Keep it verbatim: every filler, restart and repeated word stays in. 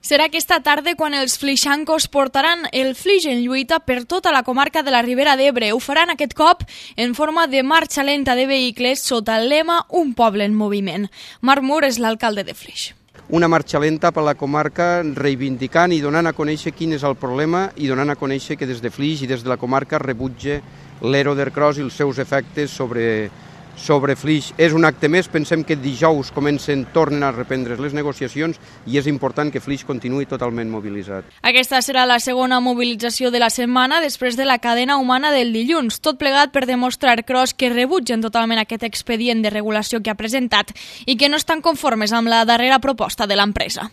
Serà aquesta tarda quan els flixancos portaran el flix en lluita per tota la comarca de la Ribera d'Ebre. Ho faran aquest cop en forma de marxa lenta de vehicles sota el lema Un poble en moviment. Marc Mur és l'alcalde de Flix. Una marxa lenta per la comarca reivindicant i donant a conèixer quin és el problema i donant a conèixer que des de Flix i des de la comarca rebutja l'Ero-Ercros i els seus efectes sobre sobre Flix. És un acte més, pensem que dijous comencen, tornen a reprendre les negociacions i és important que Flix continuï totalment mobilitzat. Aquesta serà la segona mobilització de la setmana després de la cadena humana del dilluns, tot plegat per demostrar Cros que rebutgen totalment aquest expedient de regulació que ha presentat i que no estan conformes amb la darrera proposta de l'empresa.